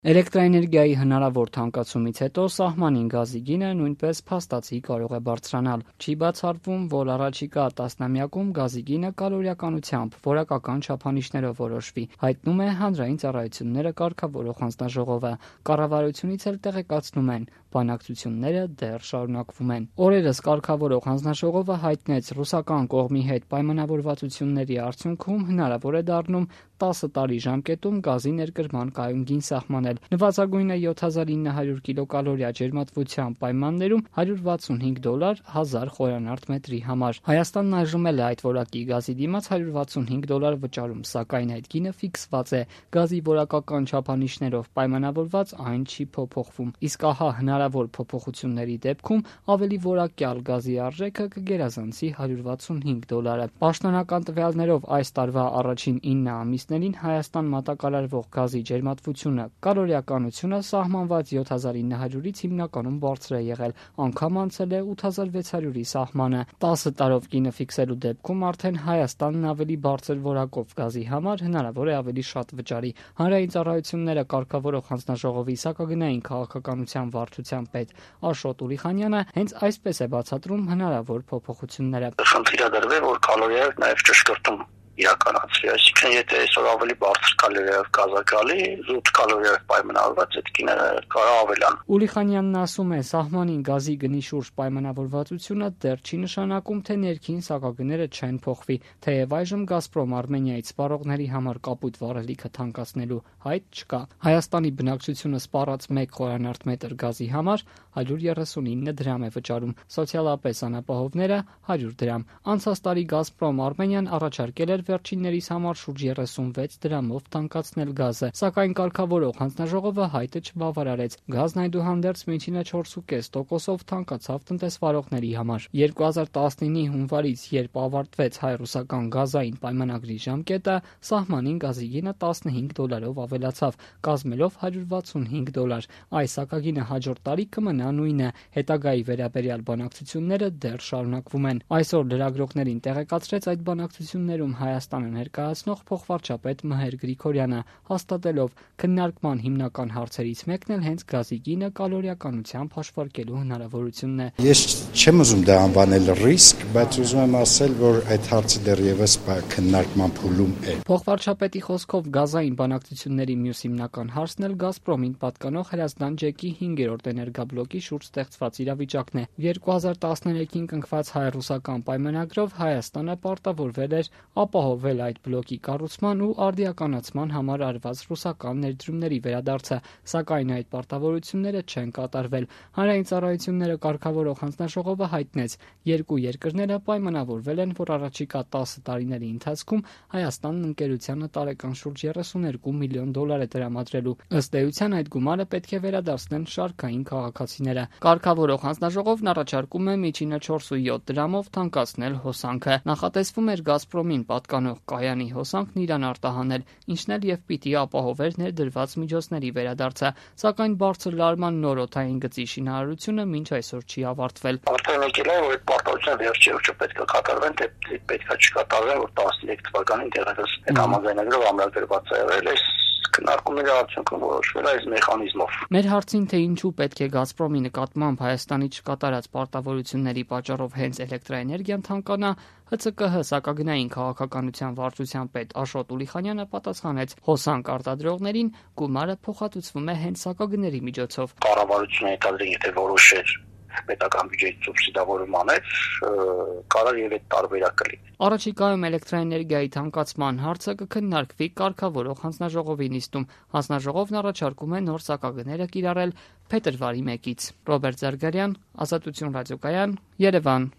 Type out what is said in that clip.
Էլեկտրաէներգիայի հնարավոր թանկացումից հետո սահմանին գազի գինը նույնպես փաստացի կարող է բարձրանալ։ Չի բացառվում, որ առաջիկա տասնամյակում գազի գինը կալորիականությամբ որակական չափանիշներով որոշվի, հայտնում է Հանրային ծառայությունները կարգավորող հանձնաժողովը։ Կառավարությունից էլ տեղեկացնում են՝ բանակցությունները դեռ շարունակվում են։ Օրերս կարգավորող հանձնաժողովը հայտնեց՝ ռուսական կողմի հետ պայմանավորվածությունների արդյունքում հնարավոր է դառնում 10 տարի ժամկետում գազի ներկրման կայուն գին սահմանել։ Նվազագույնը 7900 կիլոկալորիա ջերմատվության պայմաններում $165 1000 խորանարդ մետրի համար։ Հայաստանն այժմ էլ է այդ որակի գազի դիմաց $165 վճարում, սակայն այդ գինը ֆիքսված է։ Գազի որակական չափանիշներով պայմանավորված այն չի փոփոխվում։ Իսկ ահա հնարավոր փոփոխությունների դեպքում ավելի որակյալ գազի արժեքը կգերազանցի $165։ Պաշտոնական տվյալներով այս տարվա առաջին 9 ամիսներին Հայաստան մատակարարվող գազի ջերմատվությունը կալորիականությունը սահմանված 7900-ից հիմնականում բարձր է եղել, անգամ անցել է 8600-ի սահմանը։ 10 տարով գինը ֆիքսելու դեպքում արդեն Հայաստանն ավելի բարձր որակով գազի համար հնարավոր է ավելի շատ վճարի։ Հանրային ծառայությունները կարգավորող հանձնաժողովի սակագնային քաղաքականության վարչության պետ Աշոտ Ուրիխանյանը հենց այսպես է բացատրում հնարավոր փոփոխությունները։ Խնդիրը դրվել, որ կալորիայով նաև ճշգրտում իրականացվի, այսինքն եթե այսօր ավելի բարձր կալորիայով գազա գալի, զուտ կալորիայով պայմանավորված այդ գինը կարող ավելան։ Ուրիխանյանն ասում է, սահմանին գազի գնի շուրջ պայմանավորվածությունը դեռ չի նշանակում, թե ներքին սակագները չեն փոխվի, թեև այժմ Գազպրոմ Արմենիայից սպառողների համար կապույտ վառելիքը թանկացնելու հայտ չկա։ Հայաստանի բնակչությունը սպառած 1 խորանարդ մետր գազի համար 139 դրամ է վճարում, սոցիալապես անապահովները 100 դրամ։ Անցած տարի Գազպրոմ Արմենիան առաջարկել էր վերջիններիս համար շուրջ 36 դրամով թանկացնել գազը, սակայն կարգավորող հանձնաժողովը հայտը չբավարարեց։ Գազն այդուհանդերձ միջինը 4,5%-ով թանկացավ տնտեսվարողների համար։ 2019-ի հունվարից, երբ ավարտվեց հայ-ռուսական գազային պայմանագրի ժամկետը, սահմանին գազի գինը $15-ով ավելացավ, կազմելով $165։ Այս սակագինը հաջորդ տարի կմնա նույնը։ Հետագայի վերաբերյալ բանակցությունները դեռ շարունակվում են։ Այսօր լրագրողներին տեղեկացրեց այդ բանակցություններում Հայաստանը ներկայացնող փոխվարչապետ Մհեր Գրիգորյանը, հաստատելով քննարկման հիմնական հարցերից մեկն էլ հենց գազի գինը կալորիականությամբ հաշվարկելու հնարավորությունն է։ Ես չեմ ուզում դա անվանել ռիսկ, բայց ուզում եմ ասել, որ այդ հարցը դեռևս քննարկման փուլում է։ Փոխվարչապետի խոսքով գազային բանակցությունների մյուս հիմնական հարցն էլ Գազպրոմին պատկանող Հրազդան ջեկի 5-րդ էներգաբլոկի շուրջ ստեղծված իրավիճակն է։ 2013-ին կնքված հայ-ռուսական պայմանագրով Հայաստանը պարտավորվել էր ապահովել այդ բլոկի կառուցման ու արդիականացման համար արված ռուսական ներդրումների վերադարձը, սակայն այդ պարտավորությունները չեն կատարվել։ Հանրային ծառայությունները կարգավորող հանձնաժողովը հայտնեց, երկու երկրները պայմանավորվել են, որ առաջիկա 10 տարիների ընթացքում Հայաստանն ընկերությանը տարեկան շուրջ $32 միլիոն է տրամադրելու։ Ըստ էության այդ գումարը պետք է վերադարձնեն շարքային քաղաքացիները։ Կարգավորող հանձնաժողովն առաջարկում է միջինը 4.7 դրամով թանկացնել հոսանքը։ Նախատեսվում էր Գազպրոմին պատկանող կայանի հոսանքն Իրան արտահանել, ինչն էլ եւ պիտի ապահովեր ներդրված միջոցների վերադարձը, սակայն բարձր լարման նոր օդային գծի շինարարությունը մինչ այսօր չի ավարտվել։ Արդեն եկել է, որ այդ պարտավորությունը վերջերս չպետք է կատարվեն, թե պետք է չկատարվեն, որ 13 թվականին դեռևս այդ համաձայնագրով ամրագրված է եղել։ Քննարկումների արդյունքում որոշվել է այս մեխանիզմով։ Մեր հարցին, թե ինչու պետք է Գազպրոմի նկատմամբ Հայաստանի չկատարած պարտավորությունների պատճառով հենց էլեկտրաէներգիան թանկանա, ՀՑԿՀ սակագնային քաղաքականության վարչության պետ Աշոտ Ուրիխանյանը պատասխանեց. հոսանք արտադրողներին գումարը փոխհատուցվում է հենց սակագների միջոցով։ Կառավարությունը հետադրին, եթե որոշեր պետական բյուջեի սուբսիդավորում անել, կարող եւ այդ տարբերակը լինի։ Առաջիկայում էլեկտրաէներգիայի թանկացման հարցը կքննարկվի կարգավորող հանձնաժողովի նիստում։ Հանձնաժողովն առաջարկում է նոր սակագները կիրառել փետրվարի 1-ից։ Ռոբերտ Զարգարյան, Ազատություն ռադիոկայան, Երևան։